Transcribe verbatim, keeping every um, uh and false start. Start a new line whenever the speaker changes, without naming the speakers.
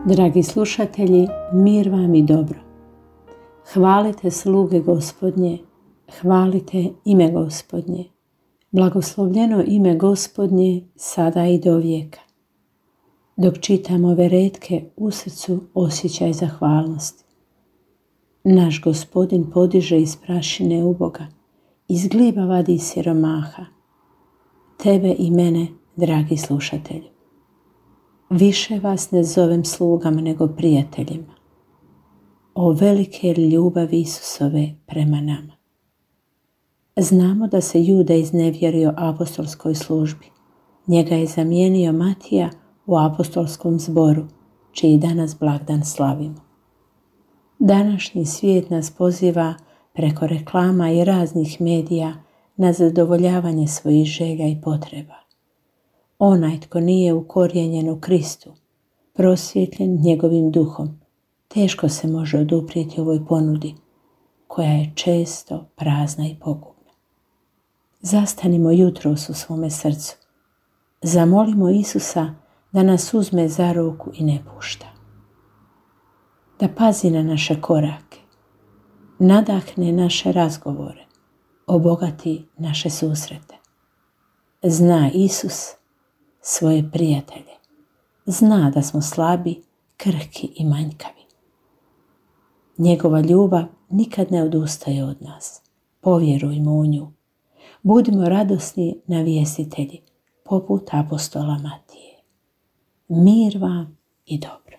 Dragi slušatelji, mir vam i dobro. Hvalite sluge Gospodnje, hvalite ime Gospodnje. Blagoslovljeno ime Gospodnje sada i do vijeka. Dok čitam ove retke, u srcu osjećaj zahvalnosti. Naš Gospodin podiže iz prašine uboga, iz gliba vadi siromaha. Tebe i mene, dragi slušatelju. Više vas ne zovem slugama nego prijateljima. O velike ljubavi Isusove prema nama. Znamo da se Juda iznevjerio apostolskoj službi. Njega je zamijenio Matija u apostolskom zboru, čiji danas blagdan slavimo. Današnji svijet nas poziva preko reklama i raznih medija na zadovoljavanje svojih želja i potreba. Onaj tko nije ukorijenjen u Kristu, prosvjetljen njegovim duhom, teško se može oduprijeti ovoj ponudi, koja je često prazna i pogubna. Zastanimo jutros u svome srcu. Zamolimo Isusa da nas uzme za ruku i ne pušta. Da pazi na naše korake, nadahne naše razgovore, obogati naše susrete. Zna Isus svoje prijatelje. Zna da smo slabi, krhki i manjkavi. Njegova ljubav nikad ne odustaje od nas. Povjerujmo u nju. Budimo radosni navjestitelji, poput apostola Matije. Mir vam i dobro.